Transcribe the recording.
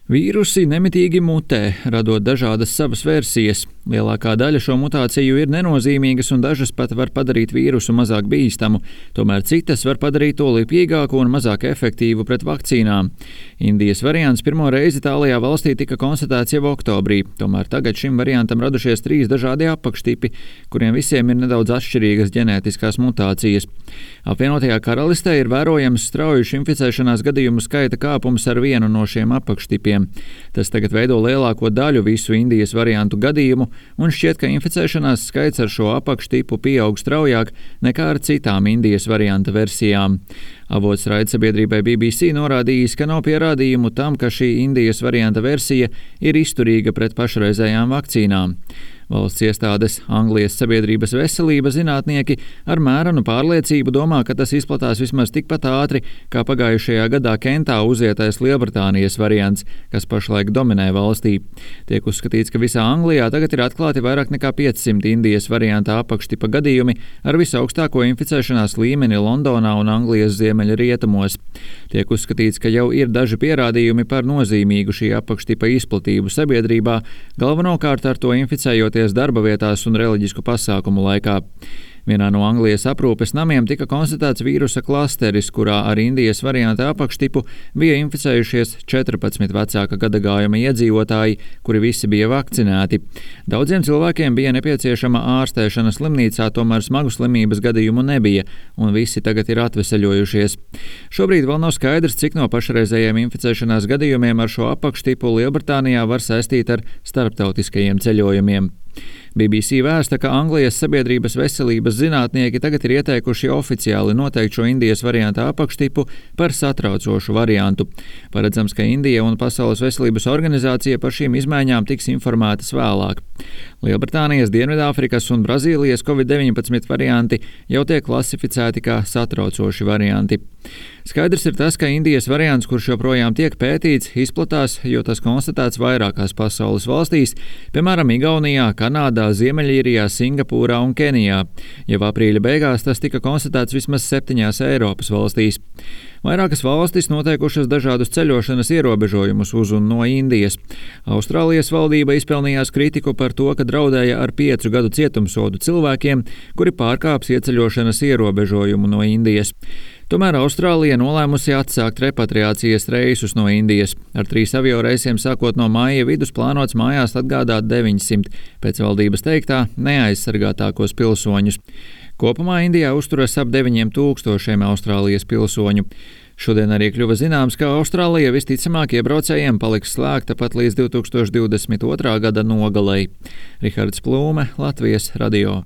Vīrusi nemitīgi mutē, radot dažādas savas versijas. Lielākā daļa šo mutāciju ir nenozīmīgas un dažas pat var padarīt vīrusu mazāk bīstamu, tomēr citas var padarīt to lipīgāku un mazāk efektīvu pret vakcīnām. Indijas variants pirmo reizi tālajā valstī tika konstatēts jau oktobrī, tomēr tagad šim variantam radušies 3 dažādi apakštipi, kuriem visiem ir nedaudz atšķirīgas ģenētiskās mutācijas. Apvienotajā karalistē ir vērojams strauju inficēšanās gadījumu skaita kāpums ar vienu no šiem apakštipiem. Tas tagad veido lielāko daļu visu Indijas variantu gadījumu, un šķiet, ka inficēšanās skaits ar šo apakštipu pieaug straujāk nekā ar citām Indijas varianta versijām. Avots raidsabiedrībai BBC norādījis, ka nav pierādījumu tam, ka šī Indijas varianta versija ir izturīga pret pašreizējām vakcīnām. Valsts iestādes Anglijas sabiedrības veselība zinātnieki ar mērenu pārliecību domā, ka tas izplatās vismaz tikpat ātri, kā pagājušajā gadā Kentā uzietais Lielbritānijas variants, kas pašlaik dominē valstī. Tiek uzskatīts, ka visā Anglijā tagad ir atklāti vairāk nekā 500 Indijas varianta apakštipa gadījumi ar visaugstāko inficēšanās līmeni Londonā un Anglijas ziemeļrietumos. Tiek uzskatīts, ka jau ir daži pierādījumi par nozīmīgu šī apakštipa izplatību sabiedrībā, galvenokārt ar to inficējoties darba vietās un reliģisku pasākumu laikā. Vienā no Anglijas aprūpes namiem tika konstatēts vīrusa klasteris, kurā ar Indijas varianta apakštipu bija inficējušies 14 vecāka gadagājuma iedzīvotāji, kuri visi bija vakcinēti. Daudziem cilvēkiem bija nepieciešama ārstēšana slimnīcā, tomēr smagu slimības gadījumu nebija, un visi tagad ir atveseļojušies. Šobrīd vēl nav skaidrs, cik no pašreizējiem inficēšanās gadījumiem ar šo apakštipu Lielbritānijā var saistīt ar starptautiskajiem ceļojumiem. BBC vēsta, ka Anglijas sabiedrības veselības zinātnieki tagad ir ieteikuši oficiāli noteikt šo Indijas varianta apakštipu par satraucošu variantu. Paredzams, ka Indija un Pasaules veselības organizācija par šīm izmaiņām tiks informētas vēlāk. Lielbritānijas, Dienvidāfrikas un Brazīlijas COVID-19 varianti jau tiek klasificēti kā satraucoši varianti. Skaidrs ir tas, ka Indijas variants, kurš joprojām tiek pētīts, izplatās, jo tas konstatēts vairākās pasaules valstīs, piemēram, Igaunijā, Kanādā, Ziemeļīrijā, Singapūrā un Kenijā. Jau aprīļa beigās tas tika konstatēts vismaz 7 Eiropas valstīs. Vairākas valstis noteikušas dažādus ceļošanas ierobežojumus uz un no Indijas. Austrālijas valdība izpelnījās kritiku par to, ka draudēja ar 5 gadu cietumsodu cilvēkiem, kuri pārkāps ieceļošanas ierobežojumu no Indijas. Tomēr Austrālija nolēmusi atsākt repatriācijas reisus no Indijas. Ar 3 avioreisiem sākot no maija vidus plānots mājās atgādāt 900, pēc valdības teiktā, neaizsargātākos pilsoņus. Kopumā Indijā uzturas ap 9000 Austrālijas pilsoņu. Šodien arī kļuva zināms, ka Austrālija visticamāk iebraucējiem paliks slēgta pat līdz 2022. gada nogalei. Rihards Plūme, Latvijas radio.